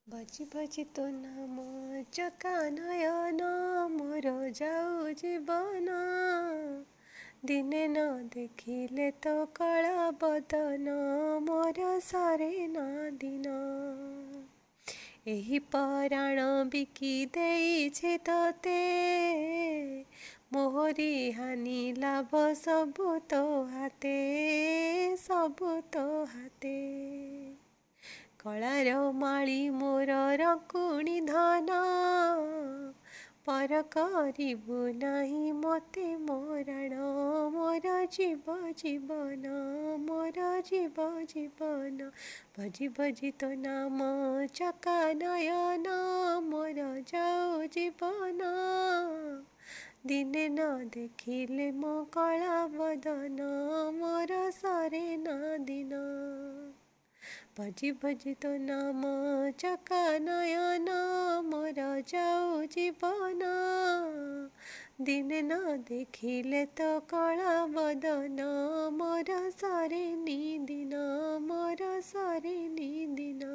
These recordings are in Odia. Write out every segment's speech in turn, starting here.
ଭଜି ଭଜି ତୋ ନାମ ଚକା ନୟନ, ମୋର ଯାଉ ଜୀବନ। ଦିନେ ନ ଦେଖିଲେ ତୋ କଳା ବଦନ, ମୋର ସରେ ନା ଦିନ। ଏହି ପରାଣ ବିକି ଦେଇଛି ତୋତେ, ମୋହରି ହାନି ଲାଭ ସବୁ ତୋ ହାତେ, ସବୁ ତୋ ହାତେ। କଳାର ମାଳି ମୋର ରକୁଣି ଧନ, ପର କରିବୁ ନାହିଁ ମୋତେ ମୋରାଣ, ମୋର ଜୀବ ଜୀବନ, ମୋର ଜୀବ ଜୀବନ। ଭଜି ଭଜି ତୋ ନାମ ଚକା ନୟନ, ମୋର ଯାଉ ଜୀବନ। ଦିନେ ନ ଦେଖିଲେ ମୋ କଳା ବଦନ, ମୋର ସରେ ନା ଦିନ। ଭଜି ଭଜି ତୋ ନାମ ଚକା ନୟନ, ମୋର ଯାଉ ଜୀବନ। ଦିନେ ନ ଦେଖିଲେ ତୋ କଳା ବଦନ, ମୋର ସରେନି ଦିନ, ମୋର ସରେନି ଦିନ।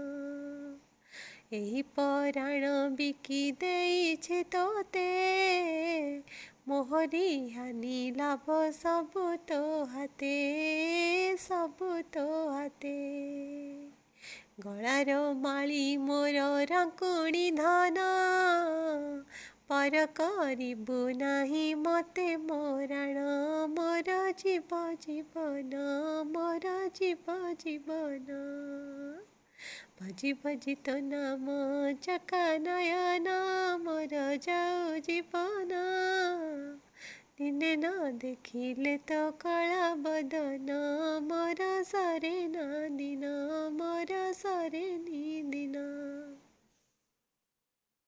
ଏହି ପରାଣ ବିକି ଦେଇଛି ତୋତେ, ମୋହରି ହାନି ଲାଭ ସବୁ ତୋ ହାତେ, ସବୁ ତୋ ହାତେ। ଗଳାର ମାଳି ମୋର ରଙ୍କୁଣି ଧନ, ପର କରିବୁ ନାହିଁ ମୋତେ ମୋରାଣ, ମୋର ଜୀବ ଜୀବନ, ମୋର ଜୀବ ଜୀବନ। ଭଜି ଭଜି ତୋ ନାମ ଚକା ନୟନ, ମୋର ଯାଉ ଜୀବନ। ଦିନେ ନ ଦେଖିଲେ ତୋ କଳା ବଦନ, ମୋର ସରେ ନା ଦିନ, ମୋର ସରେ